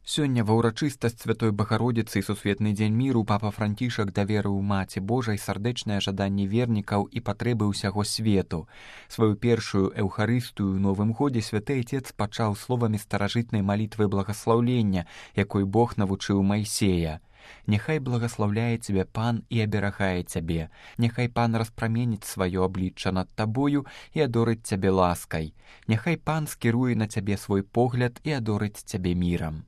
Сёння ва ўрачыстасць Святой Багародзіцы і Сусветны дзень міру папа Францішак даверыў Маці Божай сардэчнае жаданне вернікаў і патрэбы ўсяго свету. Сваю першую эўхарыстыю ў Новым годзе святы Отец пачаў словамі старажытнай малітвы благаслаўлення, якой Бог навучыў Майсея. «Няхай благаслаўляе цябе Пан і аберагае цябе, няхай Пан распраменіць сваё аблічча над табою і адорыць цябе ласкай, няхай Пан скіруе на цябе свой погляд і адорыць цябе мірам».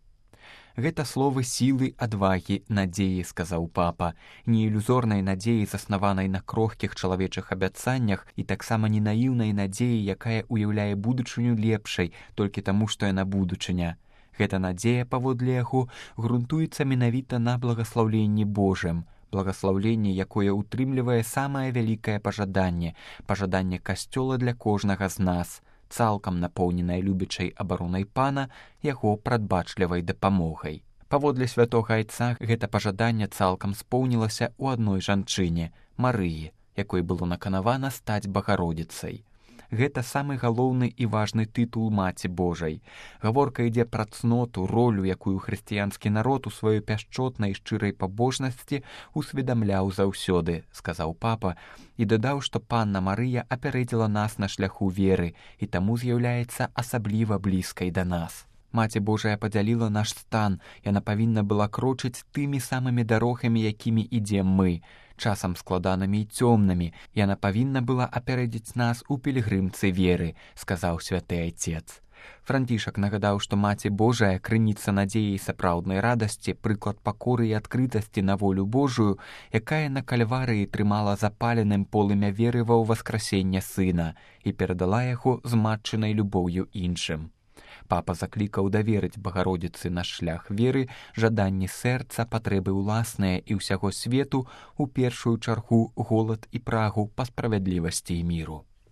Гэта словы сілы, адвагі, надзеі, сказаў папа, не ілюзорнай надзеі, заснаванай на крохкіх чалавечых абяцаннях і таксама не наіўнай надзеі, якая ўяўляе будучыню лепшай толькі таму, што яна будучыня. Гэта надзея, паводле яго, грунтуецца менавіта на благаслаўленні Божым, благаслаўленне, якое ўтрымлівае самае вялікае пажаданне, пажаданне касцёла для кожнага з нас, цалкам напоўненай любячай абаронай Пана, яго прадбачлівай дапамогай. Паводле святога Айца гэта пажаданне цалкам споўнілася ў адной жанчыне, Марыі, якой было наканавана стаць Багародзіцай. Гэта самы галоўны і важны тытул Маці Божай. Гаворка ідзе пра цноту, ролю, якую хрысціянскі народ у сваёй пяшчотнай шчырай пабожнасці усведамляў заўсёды, сказаў папа, і дадаў, што панна Марыя апярэдзіла нас на шляху веры і таму з'яўляецца асабліва блізкай да нас. Маці Божая падзяліла наш стан, яна павінна была крочыць тымі самымі дарогамі, якімі ідзем мы, часам складанымі і цёмнымі, яна павінна была апярэдзіць нас у пілігрымцы веры, сказаў святы Айцец. Францішак нагадаў, што Маці Божая, крыніца надзеі і сапраўднай радасці, прыклад пакоры і адкрытасці на волю Божую, якая на кальварыі трымала запаленым полымя веры ва ўваскрасенне Сына і перадала яго з матчынай любоўю іншым. Папа заклікаў даверыць Багародзіцы наш шлях веры, жаданні сэрца, патрэбы ўласныя і ўсяго свету, у першую чаргу голад і прагу па справядлівасці і міру.